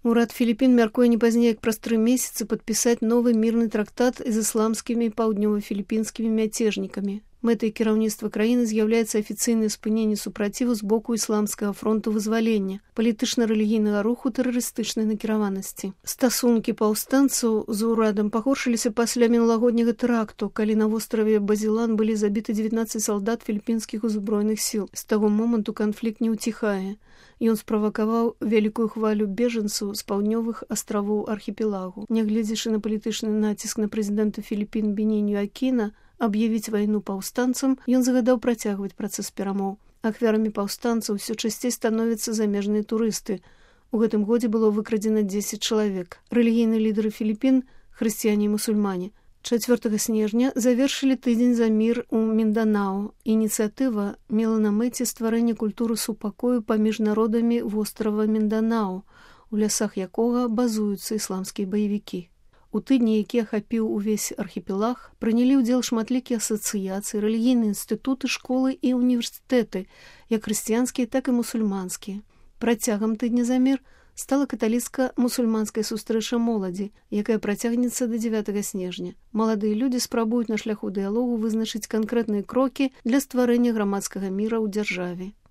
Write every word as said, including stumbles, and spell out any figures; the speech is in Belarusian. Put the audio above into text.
Урад Філіпін мяркуе не пазней, як праз тры месяцы падпісаць новы мірны трактат з ісламскімі паўднёва-філіпінскімі мяцежнікамі. Мэтай кіраўніцтва краіны з'яўляецца афіцыйнае спыненне супраціву з боку ісламскага фронту вызвалення, палітычна-рэлігійнага руху тэрарыстычнай накіраванасці. Стасункі паўстанцаў з урадам пагоршыліся пасля мінулагодняга тэракту, калі на востраве Базілан былі забіты дзевятнаццаць салдат філіпінскіх узброеных сіл. З таго моманту канфлікт не ўціхае. Ён справакаваў вялікую хвалю бежанцаў з паўднёвых астравоў архіпелагу. Нягледзячы на палітычны націск на прэзідэнта Філіпін Беніню Акіна аб'явіць вайну паўстанцам, ён загадаў працягваць працэс перамоў. Ахвярамі паўстанцаў усё часцей становяцца замежныя турысты. У гэтым годзе было выкрадзена дзесяць чалавек. Рэлігійныя лідары Філіпін, хрысціяне і мусульмане, чацвёртага снежня завершылі тыдзень за мір у Мінданау. Ініцыятыва мела на мэце стварэнне культуры супакою паміж народамі вострава Мінданау, у лясах якога базуюцца ісламскія баевікі. У тыдні, які ахапіў увесь архіпелаг, прынялі ўдзел шматлікія асацыяцыі, рэлігійныя інстытуты, школы і універсітэты, як хрысціянскія, так і мусульманскія. Працягам тыдня за мір стала каталіцка-мусульманская сустрэча моладзі, якая працягнецца да дзевятага снежня. Маладыя людзі спрабуюць на шляху дыялогу вызначыць канкрэтныя крокі для стварэння грамадскага міра ў дзяржаве.